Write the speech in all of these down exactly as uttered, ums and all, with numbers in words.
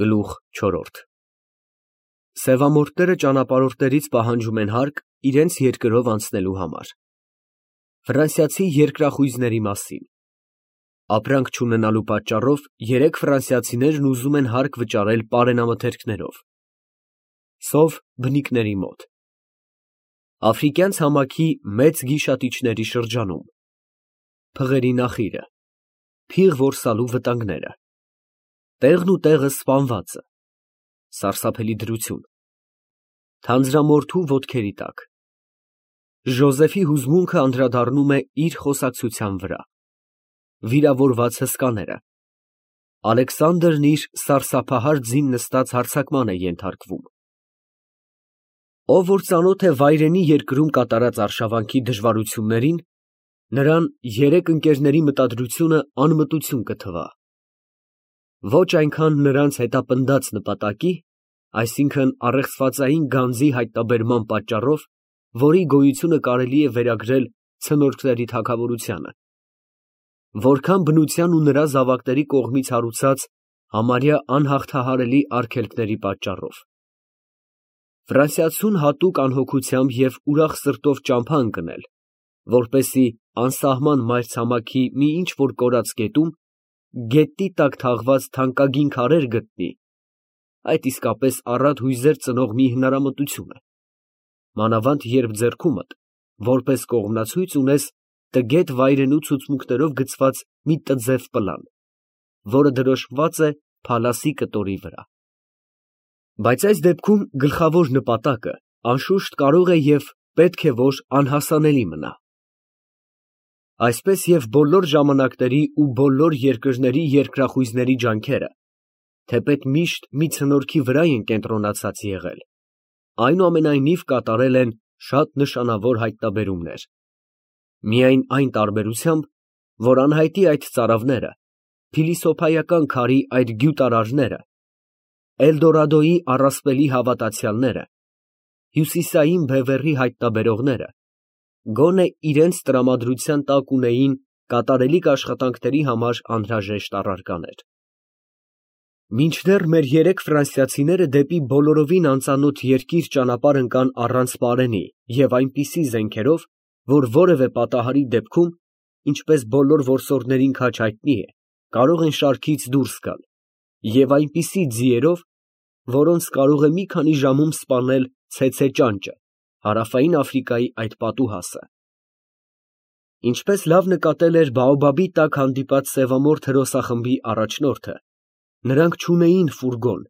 Գլուխ չորրորդ Սևամորթները ճանապարհորդներից պահանջում են հարկ իրենց երկրով անցնելու համար։ Ֆրանսիացի երկրախույզների մասին Ապրանք չունենալու պատճառով երեք ֆրանսիացիներն ուզում են հարկ վճարել պարենամթերքներով։ Սով բնիկների մոտ Աֆրիկյան ցամաքի մեծ գիշատիչների շրջանում Փղերի նախիրը Փիղ որսալու վտանգները Տեղն ու տեղը սպանվածը Սարսափելի դրություն Թանձրամորթու ոտքերի տակ Ժոզեֆի հուզմունքը անդրադառնում է իր խոսակցության վրա Վիրավորված հսկաները Ալեքսանդրն իր սարսափահար ձին նստած հարձակման է ենթարկվում Ով որ ծանոթ է վայրենի երկրում կատարած արշավանքի դժվարություններին, նրան երեք ընկերների մտադրությունը անմտություն կթվա։ Ոչ այնքան նրանց հետապնդած նպատակի, այսինքն առեղծվածային գանձի հայտնաբերման պատճառով, որի գոյությունը կարելի է վերագրել ցնորքների թագավորությանը, որքան բնության ու նրա զավակների կողմից հարուցած համարյա անհաղթահարելի արգելքների պատճառով։ Ֆրանսիացուն հատուկ անհոգությամբ և ուրախ սրտով ճամփա ընկնել, որպեսզի անսահման մայրցամաքի մի ինչ֊որ կորած գետում գետնի տակ թաղված թանկագին քարեր գտնի, այդ իսկապես առատ հույզեր ծնող մի հնարամտություն է, մանավանդ երբ ձեռքումդ, որպես կողմնացույց ունես տգետ վայրենու ցուցմուկներով գծված մի տձև պլան, որը դրոշմված է փալասի կտորի վրա։ Բայց այս դեպքում գլխավոր նպատակը, անշուշտ, կարող է և պետք է որ անհասանելի մնա։ Այսպես և բոլոր ժամանակների ու բոլոր երկրների երկրախույզների ջանքերը, թեպետ միշտ մի ցնորքի վրա են կենտրոնացած եղել, այնուամենայնիվ կատարել են շատ նշանավոր հայտնաբերումներ, միայն այն տարբերությամբ, որ անհայտի այդ ծարավները, փիլիսոփայական քարի այդ գյուտարարները, Էլդորադոյի առասպելի հավատացյալները, հյուսիսային բևեռի հայտնաբերողները, գոնե իրենց տրամադրության տակ ունեին կատարելիք աշխատանքների համար անհրաժեշտ առարկաներ։ Մինչդեռ մեր երեք ֆրանսիացիները դեպի բոլորովին անծանոթ երկիր ճանապարհ ընկան առանց պարենի և այնպիսի զենքերով, որ որևէ պատահարի դեպքում, ինչպես բոլոր որսորդներին քաջ հայտնի է, կարող են շարքից դուրս գալ, և այնպիսի ձիերով, որոնց կարող է մի քանի ժամում սպանել ցեցե ճանճը, հարավային Աֆրիկայի այդ պատուհասը։ Ինչպես լավ նկատել էր բաոբաբի տակ հանդիպած սևամորթ հրոսախմբի առաջնորդը, նրանք չունեին ֆուրգոն,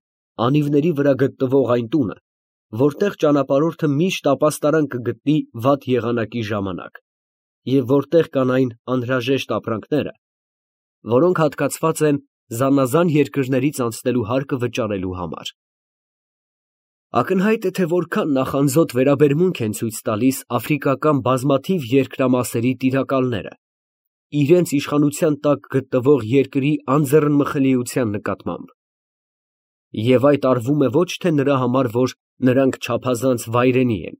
անիվների վրա գտնվող այն տունը, որտեղ ճանապարհորդը միշտ ապաստարան կգտնի վատ եղանակի ժամանակ, և որտեղ կան այն անհրաժեշտ ապրանքները, որոնք հատկացված են զանազան երկրներից անցնելու հարկը վճարելու համար։ Ակնհայտ է, թե որքան նախանձոտ վերաբերմունք են ցույց տալիս աֆրիկական բազմաթիվ երկրամասերի տիրակալները, իրենց իշխանության տակ գտնվող երկրի անձեռնմխելիության նկատմամբ։ Եվ այդ արվում է ոչ թե նրա համար, որ նրանք չափազանց վայրենի են,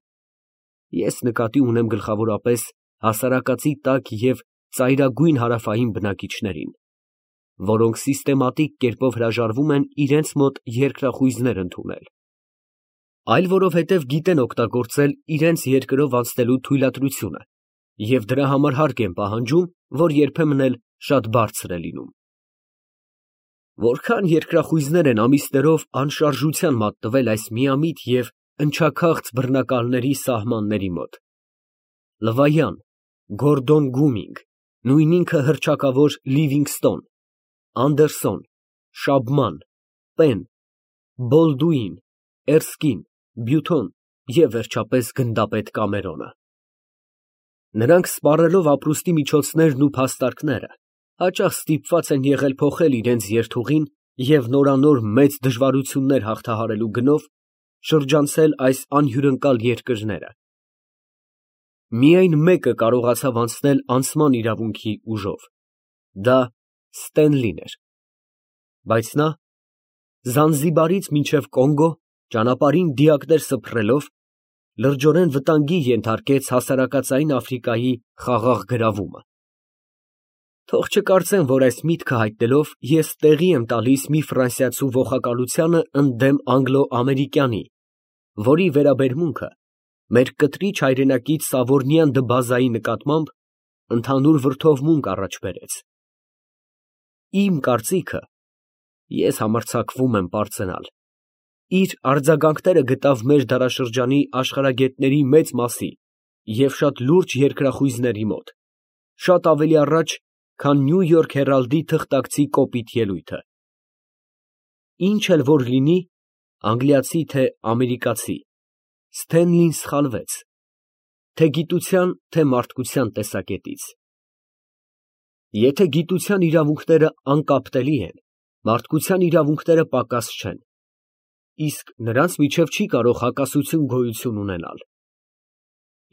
ես նկատի ունեմ գլխավորապես հասարակածի տաք և ծայրագույն հարավային բնակիչներին, որոնք սիստեմատիկ կերպով հրաժարվում են իրենց մոտ երկրախույզներ ընդունել, այլ որովհետև գիտեն օգտագործել իրենց երկրով անցնելու թույլատրությունը և դրա համար հարկ են պահանջում, որ երբեմն էլ շատ բարձր է լինում։ Որքան երկրախույզներ են ամիսներով անշարժության մատնվել այս միամիտ և ընչաքաղց բռնակալների սահմանների մոտ։ Լվայան, Գորդոն Գումինգ, նույն ինքը հռչակավոր Լիվինգստոն, Անդերսոն, Շաբման, Պեն, Բոլդուին, Էրսկին, Բյութոն և վերջապես գնդապետ Կամերոնը։ Նրանք սպառելով ապրուստի միջոցներն ու փաստարկները, հաճախ ստիպված են եղել փոխել իրենց երթուղին և նորանոր մեծ դժվարություններ հաղթահարելու գնով շրջանցել այս անհյուրընկալ երկրները։ Միայն մեկը կարողացավ անցնել անցման իրավունքի ուժով, դա Ստենլին էր, բայց նա Զանզիբարից մինչև Կոնգո ճանապարհին դիակներ սփռելով, լրջորեն վտանգի ենթարկեց հասարակածային Աֆրիկայի խաղաղ գրավումը։ Թող չկարծեն, որ այս միտքը հայտնելով ես տեղի եմ տալիս մի ֆրանսիացու ոխակալությանը ընդդեմ անգլո֊ամերիկյանի, որի վերաբերմունքը մեր կտրիչ հայրենակից Սավորնյան դբազայի նկատմամբ ընդհանուր վրդովմունք առաջ բերեց։ Իմ կարծիքը, ես համարձակվում եմ պարծենալ, իր արձագանքները գտավ մեր դարաշրջանի աշխարհագետների մեծ մասի և շատ լուրջ երկրախույզների մոտ, շատ ավելի առաջ, քան Նյու Յորք Հերալդի թղթակցի կոպիտ ելույթը։ Ինչ էլ որ լինի, անգլիացի թե ամերիկացի, Սթենլին սխալվեց, թե գիտության, թե մարդկության տեսակետից։ Եթե գիտության իրավունքները անկապտելի են, մարդկության իրավունքները պակաս չեն, իսկ նրանց միջև չի կարող հակասություն գոյություն ունենալ։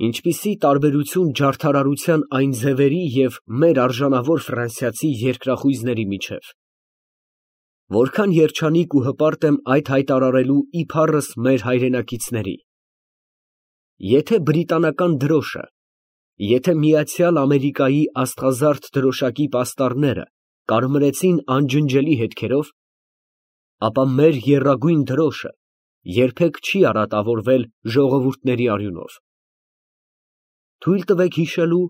Ինչպիսի տարբերություն ջարդարարության այն ձևերի և մեր արժանավոր ֆրանսիացի երկրախույզների միջև։ Որքան երջանիկ ու հպարտ եմ այդ հայտարարելու իբառս մեր հայրենակիցների։ Եթե բրիտանական դրոշը, եթե Միացյալ Ամերիկայի աստղազարդ դրոշակի պաստառները կարմրեցին անջնջելի հետքերով, ապա մեր եռագույն դրոշը երբեք չի արատավորվել ժողովուրդների արյունով։ Թույլ տվեք հիշելու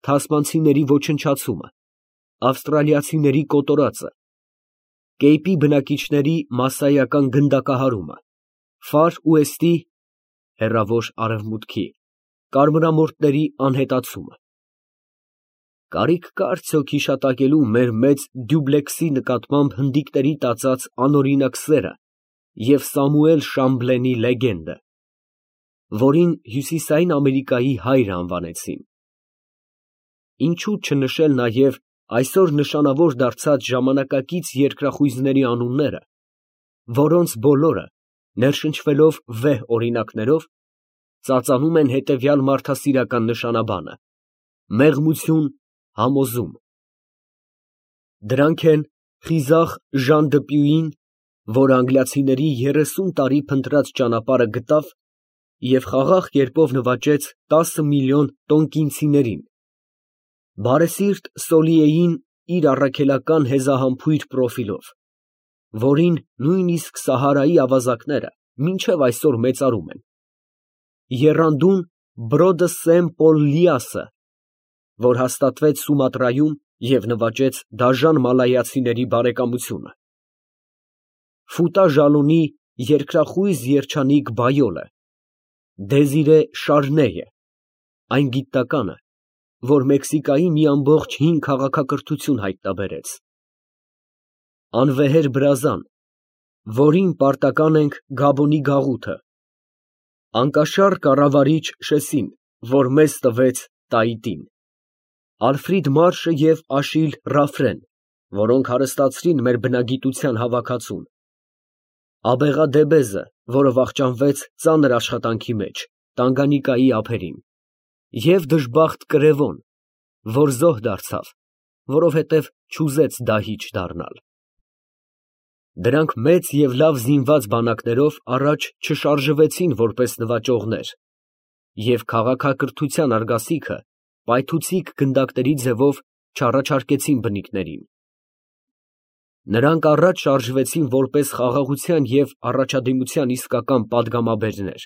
թասմանցիների ոչնչացումը, ավստրալիացիների կոտորածը, Կեյպի բնակիչների մասսայական գնդակահարումը, Ֆար Ուեստի (հեռավոր արևմուտքի) կարմրամորթների անհետացումը։ Կարիք կա արդյոք հիշատակելու մեր մեծ Դյուբլեքսի նկատմամբ հնդիկների տածած անօրինակ սերը և Սամուել Շամբլենի լեգենդը, որին Հյուսիսային Ամերիկայի հայրը անվանեցին։ Ինչո՞ւ չնշել նաև այսօր նշանավոր դարձած ժամանակակից երկրախույզների անունները, որոնց բոլորը, ներշնչվելով վեհ օրինակներով, ծածանում են հետևյալ մարդասիրական նշանաբանը՝ մեղմություն, համոզում։ Դրանք են խիզախ Ժան Դպյուին, որ անգլիացիների երեսուն տարի փնտրած ճանապարհը գտավ և խաղաղ կերպով նվաճեց տասը միլիոն տոնկինցիներին, բարեսիրտ Սոլիեին իր առաքելական հեզահամբույր պրոֆիլով, որին նույնիսկ Սահարայի ավազակները մինչև այսօր մեծարում են, եռանդուն Բրոդը Սեմ Պոլ Լիասը, որ հաստատվեց Սումատրայում և նվաճեց դաժան մալայացիների բարեկամությունը, Ֆուտա Ժալոնի երկրախույզ երջանիկ Բայոլը, Դեզիրե Շարնեյը, այն գիտնականը, որ Մեքսիկայի մի ամբողջ հին քաղաքակրթություն հայտնաբերեց, անվեհեր Բրազան, որին պարտական ենք Գաբոնի գաղութը, անկաշառ կառավարիչ Շեսին, որ մեզ տվեց Տայիտին, Ալֆրիդ Մարշը և Աշիլ Ռաֆրեն, որոնք հարստացրին մեր բնագիտության հավաքածուն, Աբեղադեբեզը, որը վախճանվեց ծանր աշխատանքի մեջ, Տանգանիկայի ափերին, և դժբախտ Կրևոն, որ զոհ դարձավ, որովհետև չուզեց դահիճ դառնալ։ Դրանք մեծ և լավ զինված բանակներով առաջ չշարժվեցին որպես նվաճողներ և քաղաքակրթության արգասիքը պայթուցիկ գնդակների ձևով չառաջարկեցին բնիկներին։ Նրանք առաջ շարժվեցին որպես խաղաղության և առաջադիմության իսկական պատգամաբերներ։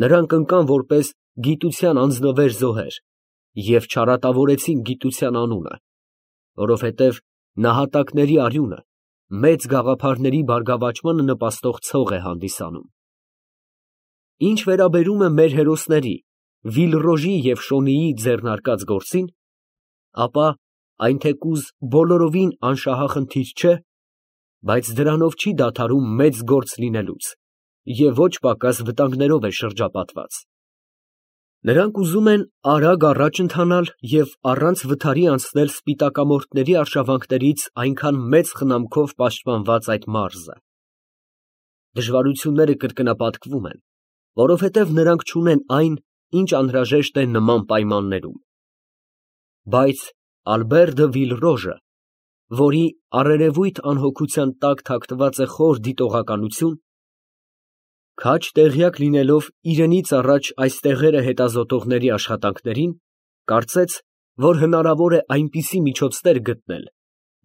Նրանք ընկան որպես գիտության անձնվեր զոհեր և չարատավորեցին գիտության անունը, որովհետև նահատակների արյունը մեծ գաղափարների բարգավաճմանը նպաստող ցող է հանդիսանում։ Ինչ վերաբերում է մեր հերոսների՝ Վիլռոժի և Շոնիի ձեռնարկած գործին, ապա այն թեկուզ բոլորովին անշահախնդիր չէ, բայց դրանով չի դադարում մեծ գործ լինելուց և ոչ պակաս վտանգներով է շրջապատված։ Նրանք ուզում են արագ առաջ ընթանալ և առանց վթարի անցնել սպիտակամորթների արշավանքներից այնքան մեծ խնամքով պաշտպանված այդ մարզը։ Դժվարությունները կրկնապատկվում են, որովհետև նրանք չունեն այն, ինչ անհրաժեշտ է նման պայմաններում։ Բայց Ալբեր դը Վիլռոժը, որի առերևույթ անհոգության տակ թաքնված է խոր դիտողականություն, քաջ տեղյակ լինելով իրենից առաջ այս տեղերը հետազոտողների աշխատանքներին, կարծեց, որ հնարավոր է այնպիսի միջոցներ գտնել,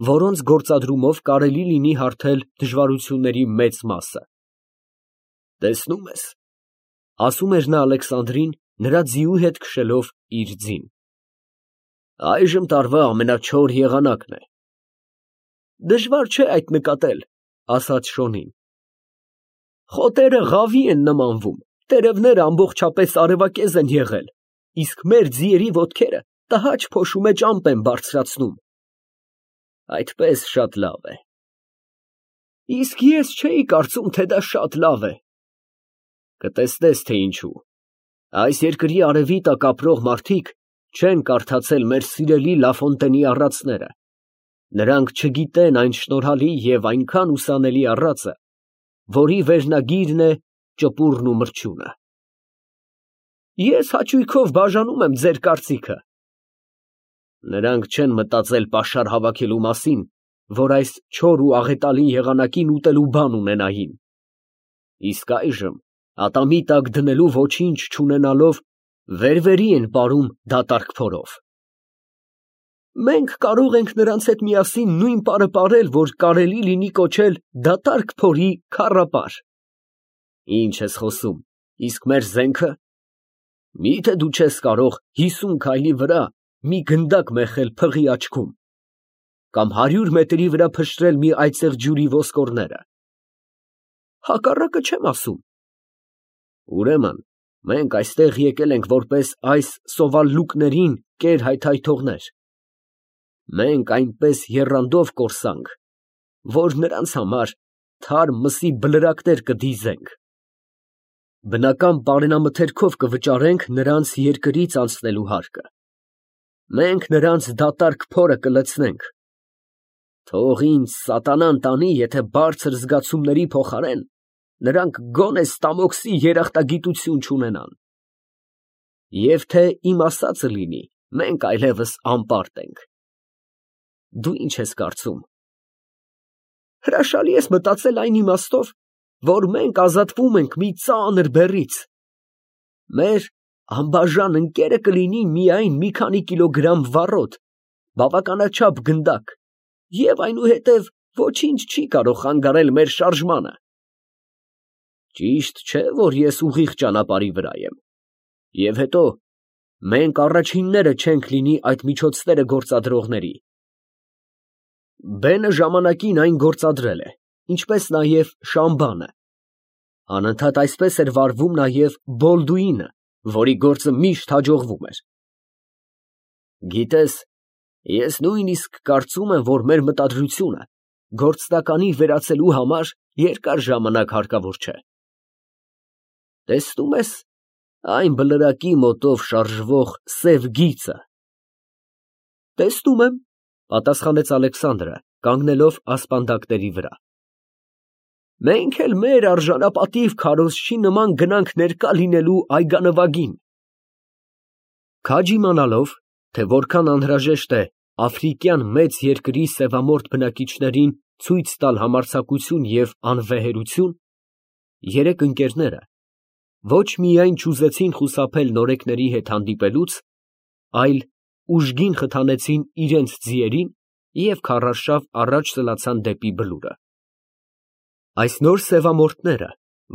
որոնց գործադրումով կարելի լինի հարթել դժվարությունների մեծ մասը։ «Տեսնում ես, ֊ ասում էր նա Ալեքսանդրին, նրա ձիու հետ քշելով իր ձին, ֊ այժմ տարվա ամենաչոր եղանակն է»։ «Դժվար չէ այդ նկատել, ֊ ասաց Շոնին։ ֊ Խոտերը ղավի են նմանվում, տերևները ամբողջապես արևակեզ են եղել, իսկ մեր ձիերի ոտքերը տհաճ փոշու մեջ ամպ են բարձրացնում։ Այդպես շատ լավ է։ Իսկ ես չէի կարծում, թե դա շատ լավ է։ Կտեսնես, թե ինչու։ Այս երկրի արևի տակ ապրող մարդիկ չեն կարդացել մեր սիրելի Լաֆոնտենի առածները։ Նրանք չգիտեն այն շնորհալի և այնքան ուսանելի առածը, որի վերնագիրն է ճպուրն ու մրջյունը։ Ես հաճույքով բաժանում եմ ձեր կարծիքը։ Նրանք չեն մտածել պաշար հավաքելու մասին, որ այս չոր ու աղետալի եղանակին ուտելու բան ունենային։ Իսկ այժմ, ատամի տակ դնելու ոչինչ չունենալով, վեր֊վերի են պարում դատարկ փորով։ Մենք կարող ենք նրանց հետ միասին նույն պարը պարել, որ կարելի լինի կոչել դատարկ փորի քառապար։ Ինչ ես խոսում, իսկ մեր զենքը։ Մի՞թե դու չես կարող հիսուն քայլի վրա մի գնդակ մեխել փղի աչքում, կամ հարյուր մետրի վրա փշրել մի այծեղ ջուրի ոսկորները։ Հակառակը չեմ ասում։ Ուրեմն մենք այստեղ եկել ենք որպես այս սովալլուկներին կեր հայթայթողներ։ Մենք այնպես եռանդով կորսանք, որ նրանց համար թարմ մսի բլրակներ կդիզենք։ Բնական պարենամթերքով կվճարենք նրանց երկրից անցնելու հարկը։ Մենք նրանց դատարկ փորը կլցնենք։ Թող ինձ սատանան տանի, եթե բարձր զգացումների փոխարեն նրանք գոնե ստամոքսի երախտագիտություն չունենան։ Եվ թե իմ ասածը լինի, մենք այլևս անպարտ ենք։ Դու ինչ ես կարծում։ Հրաշալի ես մտածել այն իմաստով, որ մենք ազատվում ենք մի ծանր բեռից։ Մեր անբաժան ընկերը կլինի միայն մի քանի կիլոգրամ վառոդ, բավականաչափ գնդակ, և այնուհետև ոչինչ չի կարող խանգարել մեր շարժմանը։ Ճիշտ չէ, որ ես ուղիղ ճանապարհի վրա եմ։ Եվ հետո, մենք առաջինները չենք լինի այդ միջոցները գործադրողների։ Բենը ժամանակին այն գործադրել է, ինչպես նաև Շամբանը։ Անընդհատ այսպես էր վարվում նաև Բոլդուինը, որի գործը միշտ հաջողվում էր։ Գիտես, ես նույնիսկ կարծում եմ, որ մեր մտադրությունը գործնականի վերածելու համար երկար ժամանակ հարկավոր չէ։ Տեսնում ես այն բլրակի մոտով շարժվող սև գիծը։ Տեսնում եմ, պատասխանեց Ալեքսանդրը, կանգնելով ասպանդակների վրա։ Մենք էլ մեր արժանապատիվ քարոզչի նման գնանք ներկա լինելու այգանվագին։ Քաջ իմանալով, թե որքան անհրաժեշտ է աֆրիկյան մեծ երկրի սևամորթ բնակիչներին ցույց տալ համարձակություն և անվեհերություն, երեք ընկերները ոչ միայն չուզեցին խուսափել նորեկների հետ հանդիպելուց, այլ ուժգին խթանեցին իրենց ձիերին և քառարշավ առաջ սլացան դեպի բլուրը։ Այս նոր սևամորթները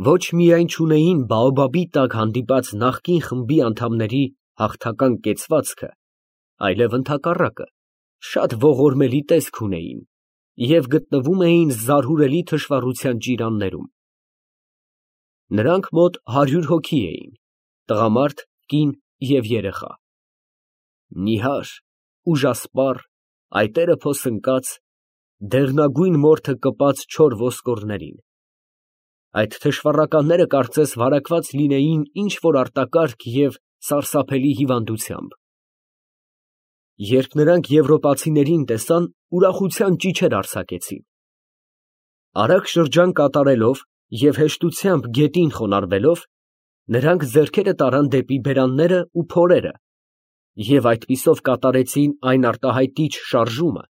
ոչ միայն չունեին բաոբաբի տակ հանդիպած նախկին խմբի անդամների հաղթական կեցվածքը, այլև ընդհակառակը, շատ ողորմելի տեսք ունեին և գտնվում էին զարհուրելի թշվառության ճիրաններում։ Նրանք մոտ հարյուր հոգի էին, տղամարդ, կին և երեխա։ Նիհար, ուժասպառ, այտերը փոսնկած, դեղնագույն մորթը կպած չոր ոսկորներին։ Այդ թշվառականները կարծես վարակված լինեին ինչ֊որ արտակարգ և սարսափելի հիվանդությամբ։ Երբ նրանք եվրոպացիներին տեսան, ուրախության ճիչեր արձակեցին։ Արագ շրջան կատարելով և հեշտությամբ գետին խոնարհվելով, նրանք ձեռքերը տարան դեպի բերանները ու փորերը և այդպիսով կատարեցին այն արտահայտիչ շարժումը,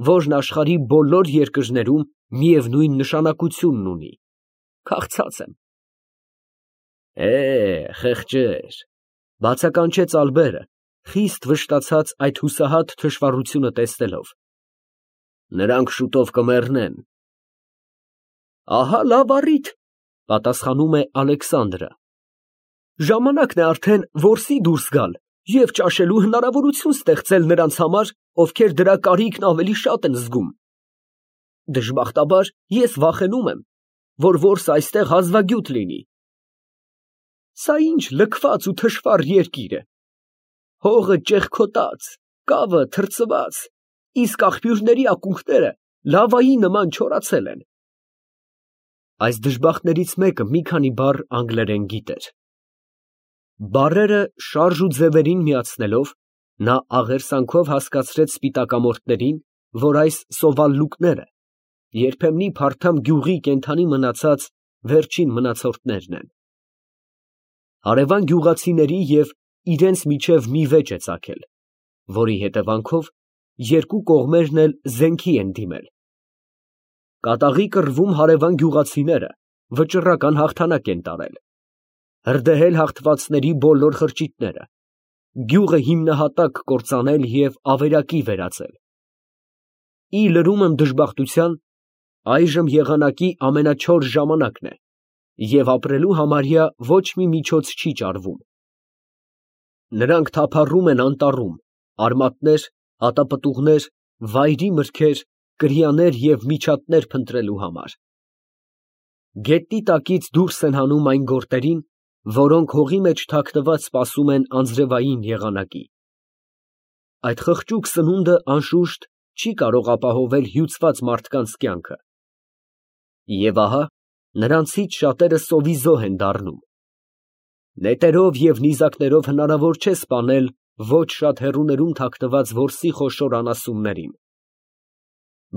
որն աշխարհի բոլոր երկրներում միևնույն նշանակությունն ունի, քաղցած եմ։ Է, խեղճեր, ֊ բացականչեց Ալբերը, խիստ վշտացած այդ հուսահատ թշվառությունը տեսնելով։ Նրանք շուտով կմեռնեն։ Ահա լավ առիթ, պատասխանում է Ալեքսանդրը։ Ժամանակն է արդեն որսի դուրս գալ և ճաշելու հնարավորություն ստեղծել նրանց համար, ովքեր դրա կարիքն ավելի շատ են զգում։ Դժբախտաբար ես վախենում եմ, որ որսը այստեղ հազվագյուտ լինի։ Սա ինչ լքված ու թշվառ երկիր է։ Հողը ճեղքոտած, կավը թրծված, իսկ աղբյուրների ակունքները լավայի նման չորացել են։ Այս դժբախտներից մեկը մի քանի բառ անգլերեն գիտեր։ Բառերը շարժ ու ձևերին միացնելով, նա աղերսանքով հասկացրեց սպիտակամորթներին, որ այս սովալլուկները երբեմնի փարթամ գյուղի կենդանի մնացած վերջին մնացորդներն են։ Հարևան գյուղացիների և իրենց միջև մի վեճ է ծագել, որի հետևանքով երկու կողմերն էլ զենքի են դիմել։ Կատաղի կռվում հարևան գյուղացիները վճռական հաղթանակ են տարել, հրդեհել հաղթվածների բոլոր խրճիթները, գյուղը հիմնահատակ կործանել և ավերակի վերածել։ Ի լրում եմ դժբախտության, այժմ եղանակի ամենաչոր ժամանակն է, և ապրելու համարյա ոչ մի միջոց չի ճարվում։ Նրանք թափառում են անտառում, արմատներ, հատապտուղներ, վայրի մրգեր, կրյաներ և միջատներ փնտրելու համար։ Գետնի տակից դուրս են հանում այն գորտերին, որոնք հողի մեջ թաքնված սպասում են անձրևային եղանակի։ Այդ խղճուկ սնունդը, անշուշտ, չի կարող ապահովել հյուծված մարդկանց կյանքը։ Եվ ահա նրանցից շատերը սովի զոհ են դառնում։ Նետերով և նիզակներով հնարավոր չէ սպանել ոչ շատ հեռուներում թաքնված որսի խոշոր անասուններին։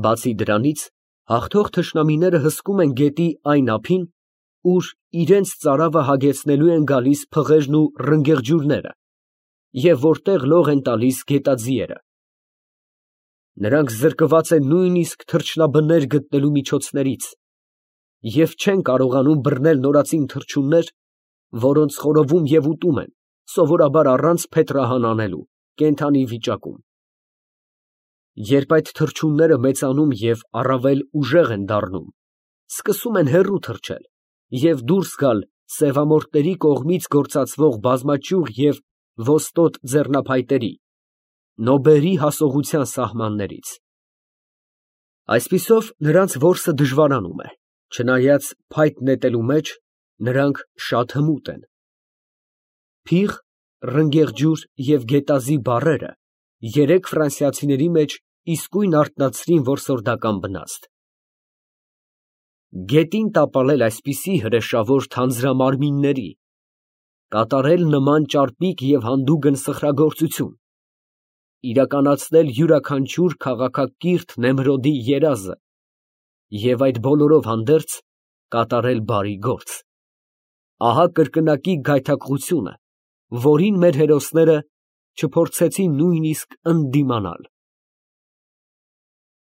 Բացի դրանից, հաղթող թշնամիները հսկում են գետի այն ափին, ուր իրենց ծարավը հագեցնելու են գալիս փղերն ու ռնգեղջյուրները, և որտեղ լող են տալիս գետաձիերը։ Նրանք զրկված են նույնիսկ թռչնաբներ գտնելու միջոցներից և չեն կարողանում բռնել նորածին թռչուններ, որոնց խորովում և ուտում են, սովորաբար առանց փետրահան անելու, կենդանի վիճակում։ Երբ այդ թռչունները մեծանում և առավել ուժեղ են դառնում, սկսում են հեռու թռչել և դուրս գալ սևամորթների կողմից գործածվող բազմաճյուղ և ոստոտ ձեռնափայտերի, նոբերի հասողության սահմաններից։ Այսպիսով նրանց որսը դժվարանում է, չնայած փայտ նետելու մեջ նրանք շատ հմուտ են։ Փիղ, ռնգեղջյուր և գետազի բառերը երեք ֆրանսիացիների մեջ իսկույն արթնացրին որսորդական բնաստ։ Գետին տապալել այսպիսի հրեշավոր թանձրամարմինների, կատարել նման ճարպիկ և հանդուգն սխրագործություն, իրականացնել յուրաքանչյուր քաղաքակիրթ Նեմրոդի երազը և այդ բոլորով հանդերձ կատարել բարի գործ, ահա կրկնակի գայթակղությունը, որին մեր հերոսները չփորձեցին նույնիսկ ընդդիմանալ։